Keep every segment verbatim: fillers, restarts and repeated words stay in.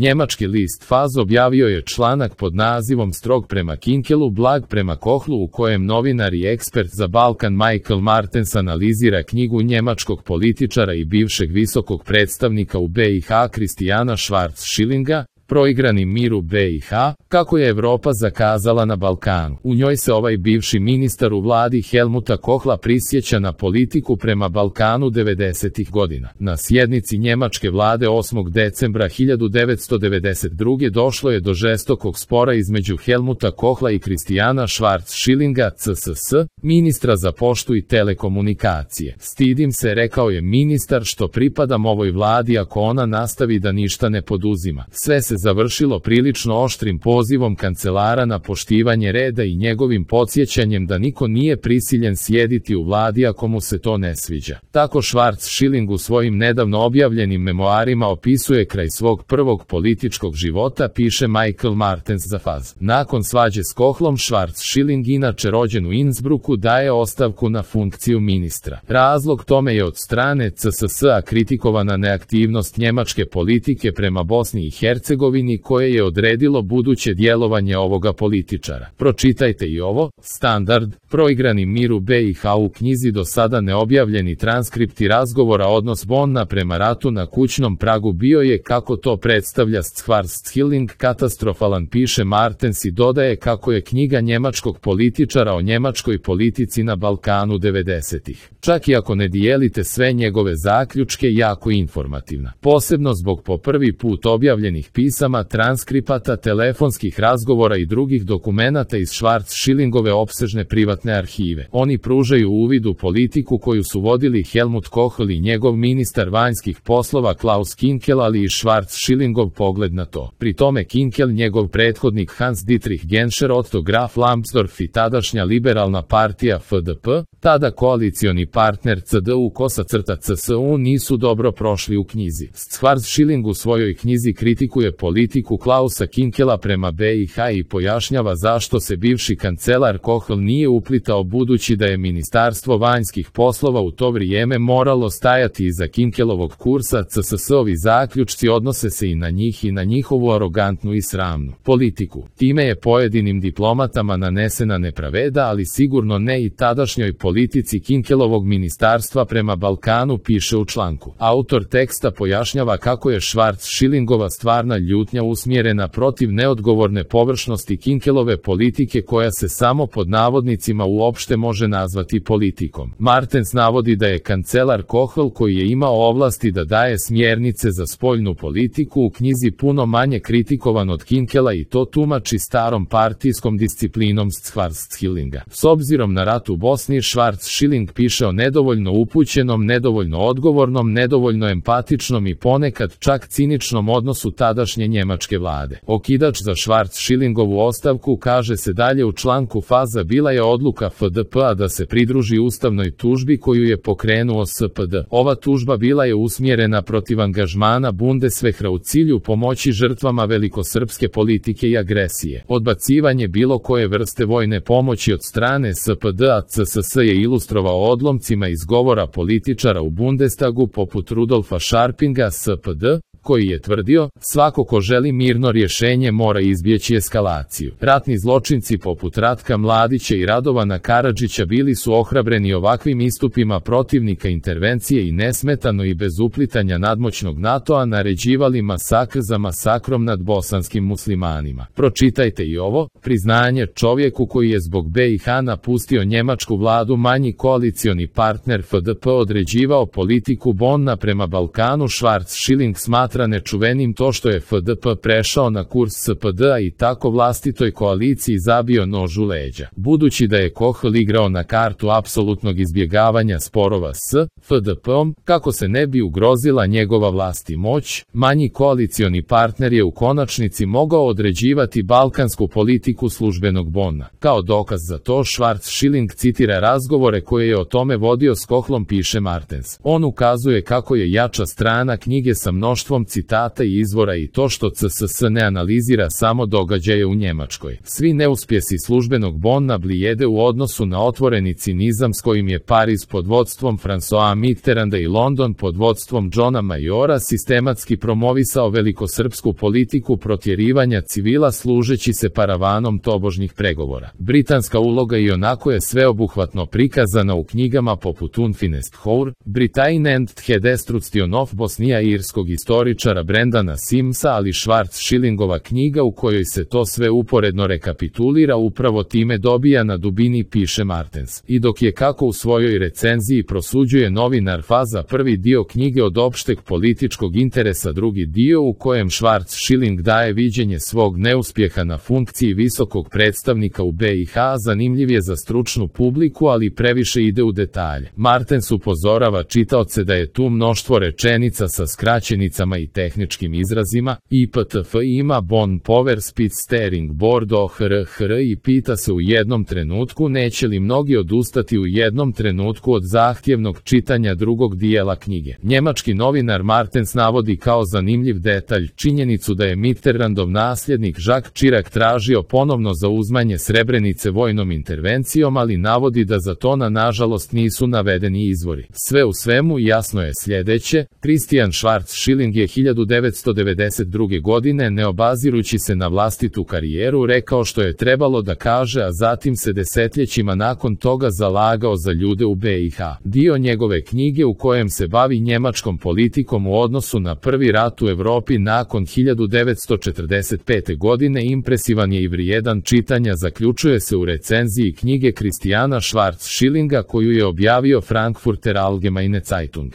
Njemački list Faz objavio je članak pod nazivom Strog prema Kinkelu, blag prema Kohlu, u kojem novinar i ekspert za Balkan Michael Martens analizira knjigu njemačkog političara i bivšeg visokog predstavnika u be i ha Christiana Schwarz-Schillinga, Proigrani mir u be i ha, kako je Evropa zakazala na Balkanu. U njoj se ovaj bivši ministar u vladi Helmuta Kohla prisjeća na politiku prema Balkanu devedesetih godina. Na sjednici njemačke vlade osmog decembra hiljadu devetsto devedeset druge došlo je do žestokog spora između Helmuta Kohla i Christiana Schwarz-Schillinga, ce es es, ministra za poštu i telekomunikacije. Stidim se, rekao je ministar, što pripadam ovoj vladi ako ona nastavi da ništa ne poduzima. Sve se završilo prilično oštrim pozivom kancelara na poštivanje reda i njegovim podsjećanjem da niko nije prisiljen sjediti u vladi ako mu se to ne sviđa. Tako Schwarz-Schilling u svojim nedavno objavljenim memoarima opisuje kraj svog prvog političkog života, piše Michael Martens za Faz. Nakon svađe s Kohlom, Schwarz-Schilling, inače rođen u Innsbrucku, daje ostavku na funkciju ministra. Razlog tome je od strane ce es es-a kritikovana neaktivnost njemačke politike prema Bosni i Hercegovini, koje je odredilo buduće djelovanje ovoga političara. Pročitajte i ovo, Standard, Proigrani mir u be i ha. U knjizi do sada neobjavljeni transkripti razgovora odnos Bonna prema ratu na kućnom pragu bio je, kako to predstavlja Schwarz-Schilling, katastrofalan, piše Martens i dodaje kako je knjiga njemačkog političara o njemačkoj politici na Balkanu devedesetih. Čak i ako ne dijelite sve njegove zaključke, jako informativna. Posebno zbog po prvi put objavljenih pisama, transkripata, telefonskih razgovora i drugih dokumenata iz Schwarz-Schillingove opsežne privatne arhive. Oni pružaju uvid u politiku koju su vodili Helmut Kohl i njegov ministar vanjskih poslova Klaus Kinkel, ali i Schwarz-Schillingov pogled na to. Pri tome Kinkel, njegov prethodnik Hans Dietrich Genscher, Otto Graf Lambsdorff i tadašnja liberalna partija ef de pe, tada koalicioni partner ce de u kosa crta ce es u, nisu dobro prošli u knjizi. Schwarz-Schilling u svojoj knjizi kritikuje politiku Klausa Kinkela prema be i ha i pojašnjava zašto se bivši kancelar Kohl nije uplitao, budući da je Ministarstvo vanjskih poslova u to vrijeme moralo stajati iza Kinkelovog kursa. ce es es-ovi zaključci odnose se i na njih i na njihovu arogantnu i sramnu politiku. Time je pojedinim diplomatama nanesena nepravda, ali sigurno ne i tadašnjoj politici Kinkelovog ministarstva prema Balkanu, piše u članku. Autor teksta pojašnjava kako je Schwarz-Schillingova stvarna ljutnja usmjerena protiv neodgovorne površnosti Kinkelove politike, koja se samo pod navodnicima uopšte može nazvati politikom. Martens navodi da je kancelar Kohl, koji je imao ovlasti da daje smjernice za spoljnu politiku, u knjizi puno manje kritikovan od Kinkela i to tumači starom partijskom disciplinom Schwarz-Schillinga. S obzirom na rat u Bosni, Schwarz-Schilling piše o nedovoljno upućenom, nedovoljno odgovornom, nedovoljno empatičnom i ponekad čak ciničnom odnosu tadašnje njemačke vlade. Okidač za Schwarz-Schillingovu ostavku, kaže se dalje u članku Faza, bila je odluka ef de pe-a da se pridruži ustavnoj tužbi koju je pokrenuo es pe de. Ova tužba bila je usmjerena protiv angažmana Bundeswehra u cilju pomoći žrtvama velikosrpske politike i agresije. Odbacivanje bilo koje vrste vojne pomoći od strane es pe de-a ce es es je ilustrovao odlomcima iz govora političara u Bundestagu poput Rudolfa Scharpinga es pe de, koji je tvrdio, svako ko želi mirno rješenje mora izbjeći eskalaciju. Ratni zločinci poput Ratka Mladića i Radovana Karadžića bili su ohrabreni ovakvim istupima protivnika intervencije i nesmetano i bez uplitanja nadmoćnog NATO-a naređivali masakr za masakrom nad bosanskim muslimanima. Pročitajte i ovo, priznanje čovjeku koji je zbog be i ha napustio njemačku vladu manji koalicioni partner ef de pe određivao politiku Bonna prema Balkanu. Schwarz-Schilling smatra nečuvenim to što je ef de pe prešao na kurs es pe de-a i tako vlastitoj koaliciji zabio nož u leđa. Budući da je Kohl igrao na kartu apsolutnog izbjegavanja sporova s ef de pe-om, kako se ne bi ugrozila njegova vlast i moć, manji koalicioni partner je u konačnici mogao određivati balkansku politiku službenog Bonna. Kao dokaz za to, Schwarz-Schilling citira razgovore koje je o tome vodio s Kohlom, piše Martens. On ukazuje kako je jača strana knjige sa mnoštvom mnoštvom citata i izvora i to što C S S ne analizira samo događaje u Njemačkoj. Svi neuspjesi službenog Bonna blijede u odnosu na otvoreni cinizam s kojim je Pariz pod vodstvom François Mitterranda i London pod vodstvom Johna Majora sistematski promovisao velikosrpsku politiku protjerivanja civila služeći se paravanom tobožnjih pregovora. Britanska uloga i onako je sveobuhvatno prikazana u knjigama poput Unfinished Hour, Britain and the Destruction of Bosnia irskog istoričara Brendana Simsa, ali Schwarzschillingova knjiga u kojoj se to sve uporedno rekapitulira upravo time dobija na dubini, piše Martens. I dok je, kako u svojoj recenziji prosuđuje novinar Faza, prvi dio knjige od opšteg političkog interesa, drugi dio u kojem Schwarzschilling daje viđenje svog neuspjeha na funkciji visokog predstavnika u B i H, zanimljiv je za stručnu publiku, ali previše ide u detalje. Martens upozorava čitaoce da je tu mnoštvo rečenica sa skraćenicama i tehničkim izrazima. I P T F ima Bon Power Spitz Steering Board O H R H R i pita se u jednom trenutku neće li mnogi odustati u jednom trenutku od zahtjevnog čitanja drugog dijela knjige. Njemački novinar Martens navodi kao zanimljiv detalj činjenicu da je Mitterrandov nasljednik Jacques Chirac tražio ponovno zauzmanje Srebrenice vojnom intervencijom, ali navodi da za to na nažalost nisu navedeni izvori. Sve u svemu jasno je sljedeće: Christian Schwarzschilling je hiljadu devetsto devedeset druge. godine, ne obazirući se na vlastitu karijeru, rekao što je trebalo da kaže, a zatim se desetljećima nakon toga zalagao za ljude u B i H. Dio njegove knjige u kojem se bavi njemačkom politikom u odnosu na prvi rat u Europi nakon hiljadu devetsto četrdeset pete. godine impresivan je i vrijedan čitanja, zaključuje se u recenziji knjige Christiana Schwarzschillinga koju je objavio Frankfurter Allgemeine Zeitung.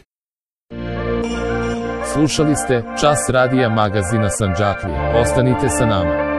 Slušali ste Čas radija magazina Sandžaklije. Ostanite sa nama.